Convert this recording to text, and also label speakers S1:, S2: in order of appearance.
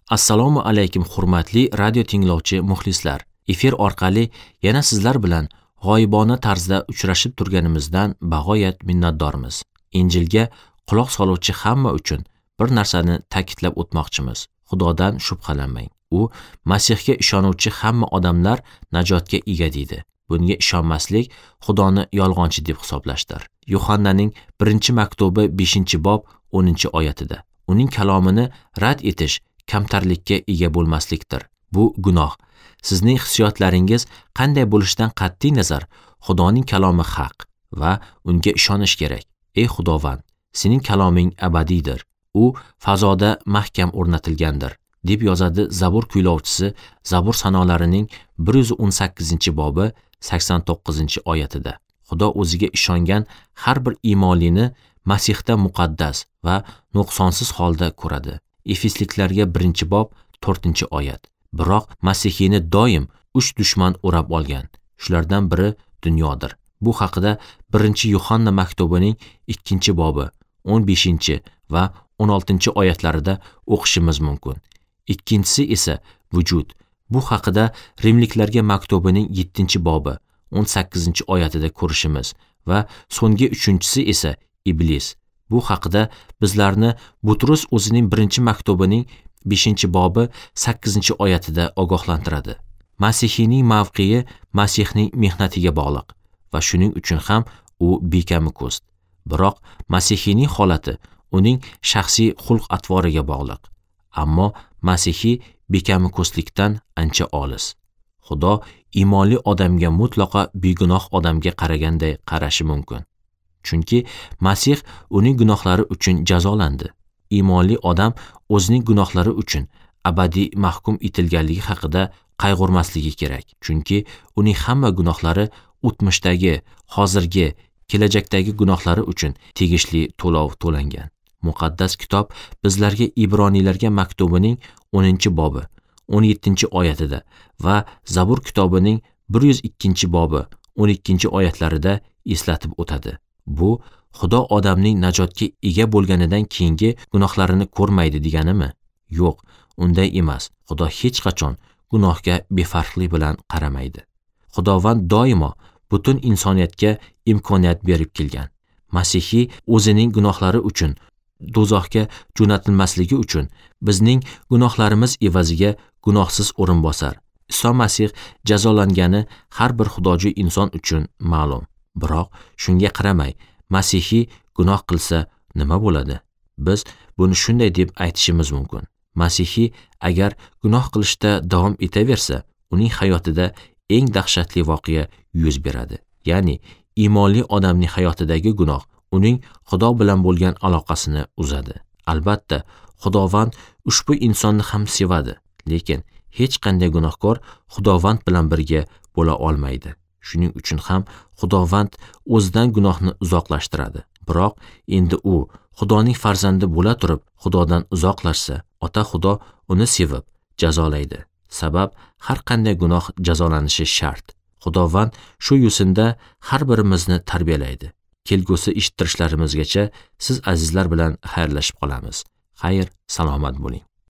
S1: Assalomu alaykum hurmatli radio tinglovchi muxlislar. Efir orqali yana sizlar bilan g'oyibona tarzda uchrashib turganimizdan bag'oyat minnatdormiz. Injilga quloq soluvchi hamma uchun bir narsani ta'kidlab o'tmoqchimiz. Xudodan shubhalanmang. U Masihga ishonuvchi hamma odamlar najotga ega deydi. Bunga ishonmaslik Xudoni yolg'onchi deb hisoblashdir. Yuhannaning 1-maktubi 5-bob 10-oyatida. Uning kalomini rad etish kamtarlikka ega bo'lmaslikdir. Bu gunoh. Sizning hissiyotlaringiz qanday bo'lishidan qat'iy nazar, Xudoning kalomi haq va unga ishonish kerak. Ey Xudovand, sening kaloming abadiydir. U fazoda mahkam o'rnatilgandir, deb yozadi Zabur kuylovchisi Zabur sanolarining 118-bobi 89-oyatida. Xudo o'ziga ishongan har bir iymonlini Masihda muqaddas va nuqsonsiz holda ko'radi. Efesliklarga 1-bob 4-oyat. Biroq Masihiyni doim 3 dushman o'rab olgan. Shulardan biri dunyodir. Bu haqida 1-Yuhanna maktubining 2-bobi 15 va 16-oyatlarida o'qishimiz mumkin. Ikkinchisi esa vujud. Bu haqida Rimliklarga maktubining 7-bobi 18-oyatida ko'rishimiz va so'nggi uchinchisi esa iblis. Bu haqida bizlarni Butrus o'zining 1-maktubining 5-bobi 8-oyatida ogohlantiradi. Masihiyning mavqei Masihning mehnatiga bog'liq va shuning uchun ham u bekami ko'st. Biroq Masihiyning holati uning shaxsiy xulq-atvoriga bog'liq. Ammo Masihiy bekami ko'stlikdan ancha olis. Xudo iymonli odamga mutlaqo begunoh odamga qaraganday qarashi mumkin. Chunki Masih uning gunohlari uchun jazolandi. Iymonli odam o'zining gunohlari uchun abadiy mahkum etilganligi haqida qayg'urmasligi kerak. Chunki uning hamma gunohlari o'tmishdagi, hozirgi, kelajakdagi gunohlari uchun tegishli to'lov to'langan. Muqaddas kitob bizlarga Ibroniylarga maktubining 10-bobi 17-oyatida va Zabur kitobining 102-bobi 12-oyatlarida eslatib o'tadi. Bu Xudo odamning najotga ega bo'lganidan keyingi gunohlarini ko'rmaydi deganimi? Yo'q, unday emas. Xudo hech qachon gunohga befarqlik bilan qaramaydi. Xudovand doimo butun insoniyatga imkoniyat berib kelgan. Masihiy o'zining gunohlari uchun do'zaxga jo'natilmasligi uchun bizning gunohlarimiz evaziga gunohsiz o'rinbosar Iso Masih jazolangani har bir xudojo'y inson uchun ma'lum. Biroq shunga qaramay Masihiy gunoh qilsa nima bo'ladi? Biz buni shunday deb aytishimiz mumkin. Masihiy agar gunoh qilishda davom etaversa, uning hayotida eng dahshatli voqea yuz beradi. Ya'ni iymonli odamning hayotidagi gunoh uning Xudo bilan bo'lgan aloqasini uzadi. Albatta, Xudovand ushbu insonni ham sevadi, lekin hech qanday gunohkor Xudovand bilan birga bo'la olmaydi. Shuning uchun ham Xudovand o'zidan gunohni uzoqlashtiradi. Biroq endi u Xudoning farzandi bo'la turib Xudodan uzoqlashsa, Ota Xudo uni sevib jazolaydi. Sabab har qanday gunoh jazolanishi shart. Xudovand shu yo'sinda har birimizni tarbiyalaydi. Kelgusi eshittirishlarimizgacha siz azizlar bilan xayrlashib qolamiz. Xayr, salomat bo'ling.